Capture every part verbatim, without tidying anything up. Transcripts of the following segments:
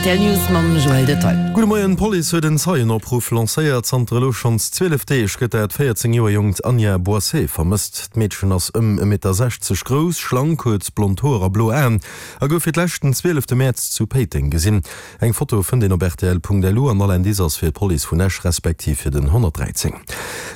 Rtl News mam Joël Detail. Gudde Moien, D'Police huet en Zeienopruff lancéiert. Zanter elo schonns zwielef Deeg gëtt dat véierzéng Joer jonkt Anja Boisset vermësst. D'Meedchen ass ëm e Meter sechzeg grouss, schlank, huet blond Hoer a blo Aen a gouf fir d'lescht den zwielefte Mäerz zu Péiteng gesinn. Eng Foto fënnt een op rtl.lu an all Indice ass fir d'Police vun Esch respektiv fir den honnertdräizéng.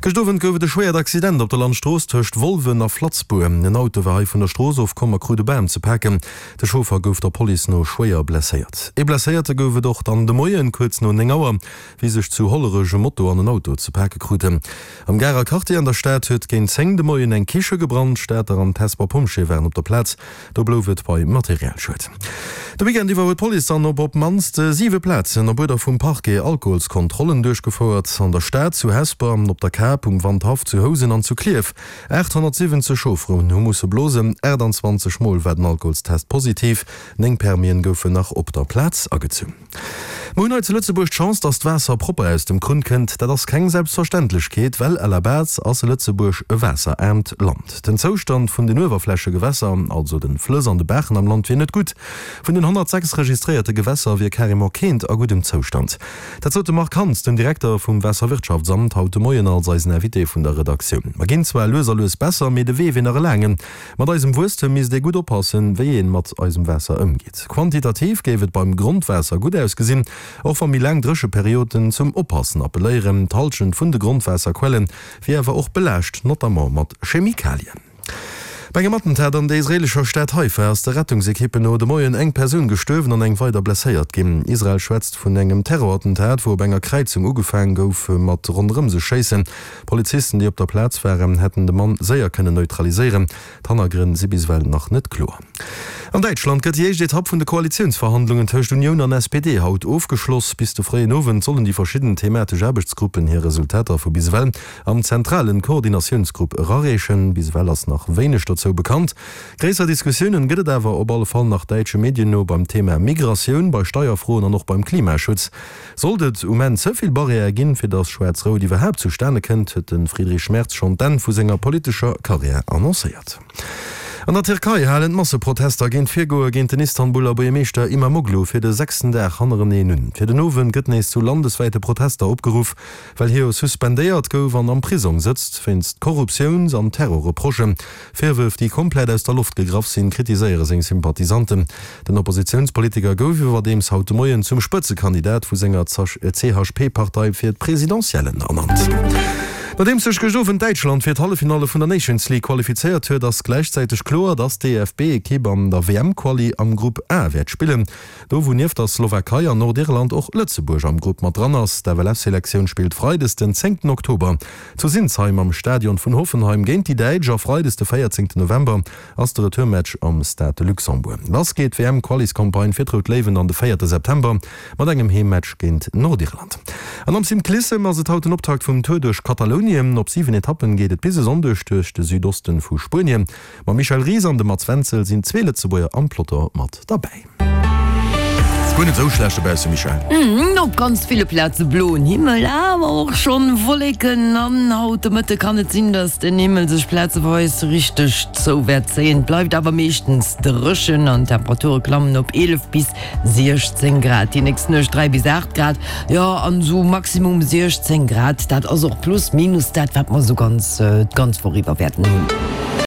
Gëscht Owend gouf et e schwéiert Accident op der Landstrooss tëscht Wolwen a Flatzbour. En Auto war hei vun der Strooss ofkomm a krut e Bam ze paken. De Chauffer gouf der Police no schwéier blesséiert. Ee Blesséierte gouf et och dann de Moien, kuerz no néng Auer, wéi sech zu Hollerech e Moto an en Auto ze pake kruten. Am Garer Quartier an der Stad huet géint zéng de Moien eng Kiche gebrannt. D'Stater an d'Hesper Pompjeeë waren op der Plaz. Do blouf et bei Materialschued. De Weekend iwwer huet d'Police dann op op d'mannst siwe Plazen op Uerder vum Parquet Alkoholskontrollen duerchgefouert, an der Stad, zu Hesper, op der Kap, um Wandhaff, zu Housen an zu Klierf. aathonnertsiwwenzeg Chaufferen hu musse blosen, aachtanzwanzeg Mol war den Alkoholstest positiv, néng Permisen goufen nach op der Plaz agezunn. Mer hunn hei zu Lëtzebuerg d'Chance, dass d'Waasser propper aus dem Krunn kënnt. Dat ass keng Selbstverständlechkeet, well à la base ass Lëtzebuerg e waasseraarmt Land. Den Zoustand vun den Uewerflächegewässer, also de Flëss an de Baachen am Land, wier net gutt. Vun den honnertsechs registréierte Gewässer wier carrément keent a guddem Zoustand. Dat sot de Marc Hans, den Direkter vum Waasserwirtschaftsamt, haut de Moien als eisen Invité vun der Redaktioun. Mer ginn zwar lues a lues besser, mee de Wee wier nach e laangen. Mat eisem Wuesstem misst ee gutt oppassen, wéi ee mat eisem Waasser ëmgeet. Quantitativ géif et beim Grondwaasser gutt ausgesinn, och wa méi laang Drécheperioden zum Oppassen appelléieren. D'Hallschent vun de Grondwaasserquelle wier awer och belaascht, notamment mat Chemikalien. Bei engem Attentat an der israeelescher Stad Haifa ass de Rettungsekippen no de Moien eng Persoun gestuerwen an eng weider blesséiert ginn. Israel schwätzt vun engem Terrorattentat, wou op enger Kräizung ugefaang gouf mat ronderëm sech schéissen. Polizisten, déi op der Plaz waren, hätten de Mann séier kënnen neutraliséieren. D'Hannergrënn si bis ewell nach net kloer. An Däitschland gëtt déi éischt Etapp vun de Koalitiounsverhandlungen tëscht Unioun an S P D haut ofgeschloss. Bis de fréien Owend sollen déi verschidden thematesch Aarbechtsgruppen hir Resultater vu bis ewell am zentralen Koordinatiounsgrupp erareechen. Bis ewell ass nach wéineg dozou bekannt. Gréisser Diskussiounen gëtt et awer op alle Fall nach däitsche Medien no beim Thema Migratioun, bei Steierfroen an och beim Klimaschutz. Sollt et um Enn ze vill Barrièrë ginn, fir datt Schwaarz-Rout iwwerhaapt zustane kënnt, huet de Friedrich Merz schonn d'Enn vu senger politescher Karriär annoncéiert. An der Tierkei halen d'Masseprotester géint d'Virgoe géint den Istanbuler Buergermeeschter Imamoglu fir de sechsten Dag hannereneen un. Fir den Owend gëtt nees zu landeswäite Protester opgeruff, well hie jo suspendéiert gouf an am Prisong sëtzt wéinst Korruptiouns an Terrorreprochen. Virwërf, déi komplett aus der Loft gegraff sinn, kritiséiere seng Sympathisanten. Den Oppositiounspolitiker gouf iwwerdeems haut de Moien zum Spëtzekandidat vu senger C H P-Partei fir d'Presidentiellen ernannt. Nodeems sech gëscht Owend Däitschland fir d'Halleffinalle vun der Nations League qualifizéiert huet, ass gläichzäiteg kloer, dass d'D F B-Ekipp an der W M-Quali am Grupp A wäert spillen. Do wou nieft der Slowakei an Nordirland och Lëtzebuerg am Grupp mat dran ass. D'F L F-Selektioun spillt freides den zéngten Oktober zu Sinsheim am Stadion vun Hoffenheim géint déi Däitsch a freides de véierzéngten November ass de Retourmatch am Stade de Luxembourg. Lass geet d'W M-Qualiscampagne fir d'Rout Léiwen dann de véierte September mat engem Heemmatch géint Nordirland. An am Cyclissem ass et haut den Optakt vum Tour duerch Katalounien. Op siwen Etappen geet et bis e Sonndeg duerch de Südosten vu Spuenien. Mam Michel Ries an dem Mats Wenzel sinn zwee Lëtzebuerger am Peloton mat derbäi. Guer net sou schlecht dobausse, Michèle. Op ganz ville Plaze bloen Himmel, awer och schonn Wolleken an haut de Mëtte kann et sinn, dass den Himmel sech plazeweis richteg zou wäert zéien. Et bleift awer meeschtens dréchen an d'Temperature klammen op eelef bis siechzéng Grad. Déi nächst Nuecht dräi bis aacht Grad, jo an sou Maximum siechzéng Grad. Dat ass och plus minus dat, wat mer sou ganz d'ganz Woch iwwer wäerten hunn.